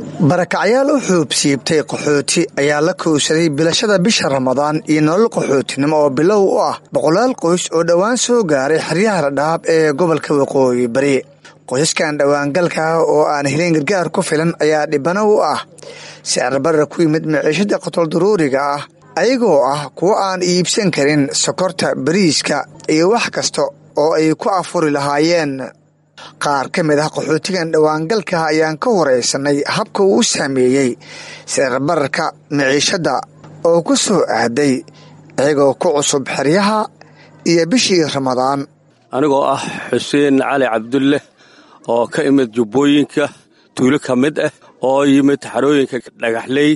Barakacyaal u xuubsiibtay qaxooti ayaa la kowsaday bilashada bisha Ramadaan iyo nolol qaxootinimo oo bilow u ah boqolaal qoys oo dhowaan soo gaaray xeryaha Dhadhaab ee gobolka Waqooyi Bari. Qoysaskan dhowaangalka ah oo aan helin gargaar ku filan ayaa dhibano u ah sicir barar ku yimid maciishada qotol daruuriga ah, ayagoo ah kuwo aan iibsan karin sokorta, bariiska iyo wax kasta oo ay ku afuri lahaayeen. Qaar ka mid ah qaxootigan dhowaangalka ayaan ka wareysanay habka uu u saameeyey sicir bararka maciishadda oo ku soo aaday iyagoo ku cusub xeryaha iyo bishii Ramadaan. Anigoo ah Xuseen Cali Cabdulle oo ka imid Jubbooyinka, tuulo ka mid ah, oo yimid xarooyinka Dhagaxley,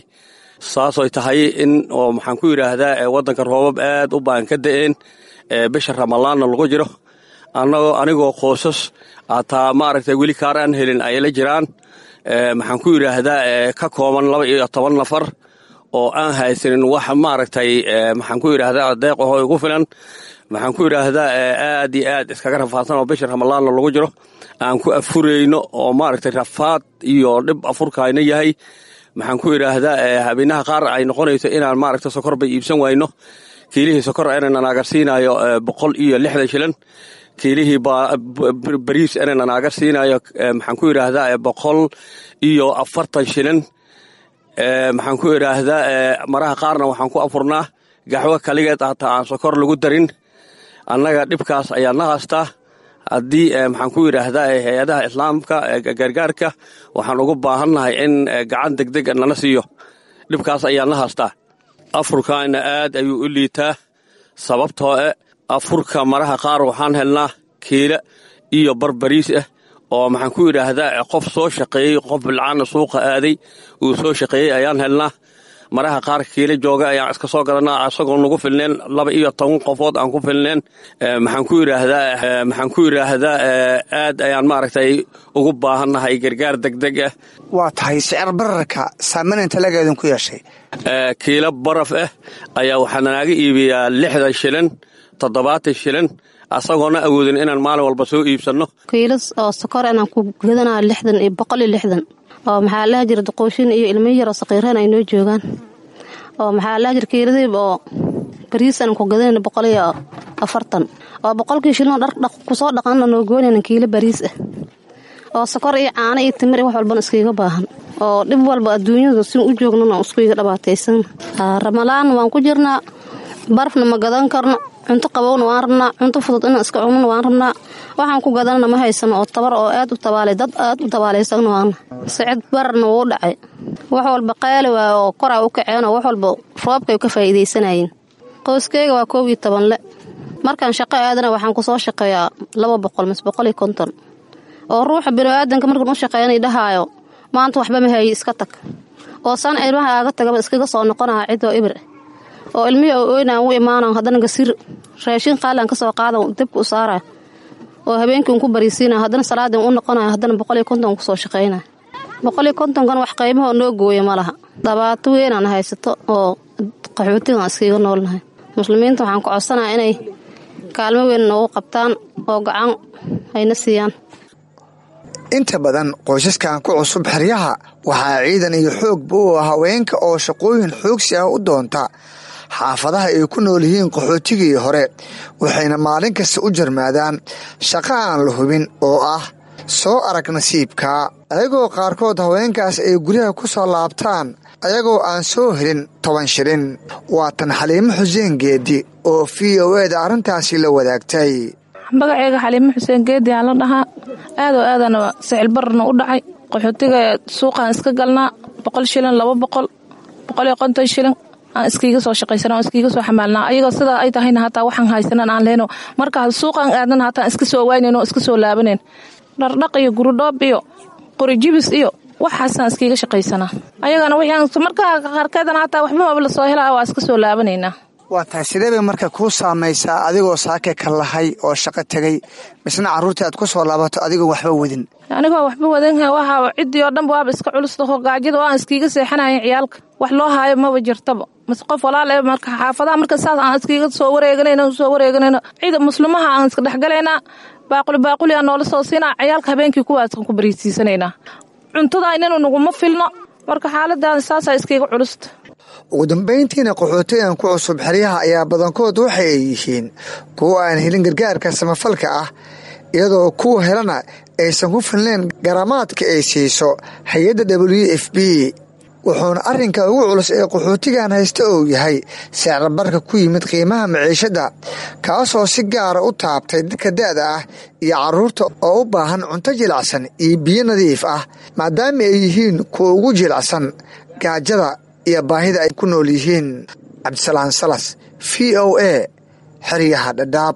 saasooy tahay in oo maxaan ku yidhaahdaa waddanka roobab aad u baan ka da'een, bisha Ramadaanna lagu jiro, anagoo anigoo qoosas hataa maaragtay weli kaar aan helin ay la jiraan, maxaan ku yidhaahdaa, ka kooban 12 nafar oo aan haysanin wax maaragtay, maxaan ku yidhaahdaa, deeq ahoo igu filan, maxaan ku yidhaahdaa, aad iyo aad iskaga rafaadsan oo bisha Ramadaanna lagu jiro, aan ku afurayno oo maaragtay rafaad iyo dhib afurkayna yahay, maxaan ku yidhaahdaa, habeenaha qaar ay noqonayso inaan maaragtay sokor bay iibsan wayno, kiilihii sokor inaan naaga siinayo 160 shilin, kiilihii bariis inaan naaga siinayo, maxaan ku yidhaahdaa, 140 shilin, maxaan ku yidhaahdaa. Maraha qaarna waxaan ku afurnaa gaxwo kaligeed, hataa aan sokor lagu darin. Annaga dhibkaas ayaa na haystaa. Haddii, maxaan ku yidhaahdaa, hay-adaha islaamka gargaarka waxaan ugu baahannahay in gacan degdeg nala siiyo. Dhibkaas ayaa na haystaa. Afurkaana aad ayuu u liitaa, sababtoo e afurka maraha qaar waxaan helnaa kiila iyo barbariis ah oo, maxaan ku yidhaahdaa, qof soo shaqeeyey, qof bilcaana suuqa aaday uu soo shaqeeyey ayaan helnaa. Maraha qaar kiila jooga ayaan iska soo gadanaa, isagoo nagu filneen, 12 qofood aan ku filneen. Maxaan ku yidhaahdaa, aad ayaan maaragtay ugu baahannahay gargaar degdeg ah. Waa tahay, sicir bararka saameyn inta lageedin ku yeeshay? Kiilo baraf ah ayaa waxaa naaga iibiyaa 60 shilin, 70 shilin, asagoona awoodin inaan maalin walba soo iibsanno. Kiilo oo sokor inaan ku gadanaa 60 iyo 160, oo maxaa laha jira, duqooshin iyo ilmo yaroo saqiireen ay noo joogaan, oo maxaa laha jira, kiiladiib oo bariis aan ku gadanayna 140, oo 100-kii shilin dhar kusoo dhaqanna noo goynayna kiilo bariis ah, oo sokor iyo caano iyo timir iyo wax walbana iskaga baahan, oo dhib walba adduunyadu sin u joognana iskuiga dhabaataysan. Ramalaan waan ku jirnaa, barafna ma gadan karno, cunto qabowna waan rabnaa, cunto fudud inaan iska cunona waan rabnaa. Waxaan ku gadanana ma haysano, oo tabar oo aad u tabaalay, dad aad u tabaalaysan waana. Sicid bararna wuu dhacay, wax walba qaali waay oo koraa u kaceen, oo wax walba roobkay ka faa'iidaysanayeen. Qoyskeyga waa 11 le. Markaan shaqo aadana waxaan kusoo shaqeeyaa 200 mise 150, oo ruuxa biniaadanka markaan u shaqeynay dhahaayo maanta waxba ma hayi, iska tag, oo san ilmaha aaga tagaba iskaga soo noqonaya cidoo ibir, oo ilmihii oo oynaan u imaanaan, haddana gasir raashin qaalaan ka soo qaadan, dabka u saaraya, oo habeenkii un ku bariisiinaya, haddana salaadin u noqonaya, haddana 150 kusoo shaqeynaya. 150-kan wax qiimahoo noo gooya ma laha. Dhibaato weynaan haysato oo qaxootigan iskaga noolnahay. Muslimiinta waxaan ku codsanaya inay kaalmo weyn noogu qabtaan oo gacan ayna siiyaan. Inta badan qoysaskan ku cusub xeryaha waxaa ciidan iyo xoogba u ah haweenka oo shaqooyin xoogsi ah u doonta xaafadaha ay ku nool yihiin qaxootigii hore, waxayna maalin kasta u jarmaadaan shaqo aan la hubin oo ah soo arag nasiibka, ayagoo qaarkood haweenkaas ay guryaha ku soo laabtaan ayagoo aan soo helin 10 shilin. Waa tan Xaliimo Xuseen Geedi oo VOA-da arrintaasi la wadaagtay. Magaceega Xaliimo Xuseen Geedi aan la dhahaa. Aad oo aadana sicil bararna u dhacay. Qaxootiga suuqaan iska galnaa, 100 shilin, 200, 150 shilin aan iskiiga soo shaqaysana, aan iskiiga soo xamaalnaa. Ayagoo sidaa ay tahayna hataa waxaan haysanan aan lehno, markaa suuqaan aadana hataa iska soo waaynayn oo iska soo laabanayn. Dhardhaq iyo gurudhoob iyo qorijibis iyo waxaasaan iskiiga shaqaysanaa. Ayagana wixii markaa qaarkeedana hataa waxba maba lasoo helaa, waa iska soo laabanaynaa. Waa tahay, sidee bay marka kuu saamaysaa adigoo saake ka lahay oo shaqo tegay, misna carruurtii aad ku soo laabato adigoo waxba wadin? Anigoo waxba wadan, waxaa ciddii oo dhanba waaba iska culus taho, gaajada oo aan iskiiga seexanayan, ciyaalka wax loo haayo maba jirtaba, mase qof walaal ee. Marka xaafadaha marka saas aan iskiiga soo wareeganayno, soo wareeganayno, cida muslimaha aan iska dhexgalaynaa, baaquli baaquli aan noola soo siinaa, ciyaalka habeenkii kuwaasaan ku bariisiisanaynaa. Cuntadaynanu naguma filno. Marka xaaladaada saasaa iskaiga culusta. Ugu dambayntiina, qaxootigan ku cusub xeryaha ayaa badankood waxa ay yihiin kuwa aan helin gargaarka samafalka ah, iyadoo kuwa helana aysan ku filnayn garamaadka ay siiso hay-adda WFP. Wuxuuna arrinka ugu culus ee qaxootigan haysta uu yahay sicirbarka ku yimid qiimaha maciishadda, kaasoo si gaara u taabtay dadka da'da ah iyo carruurta oo u baahan cunto jilacsan iyo biyo nadiif ah, maadaama ay yihiin kuwa ugu jilacsan gaajada iyo baahida ay ku nool yihiin. Cabdisalaan Salas, VOA, xeryaha Dhadhaab.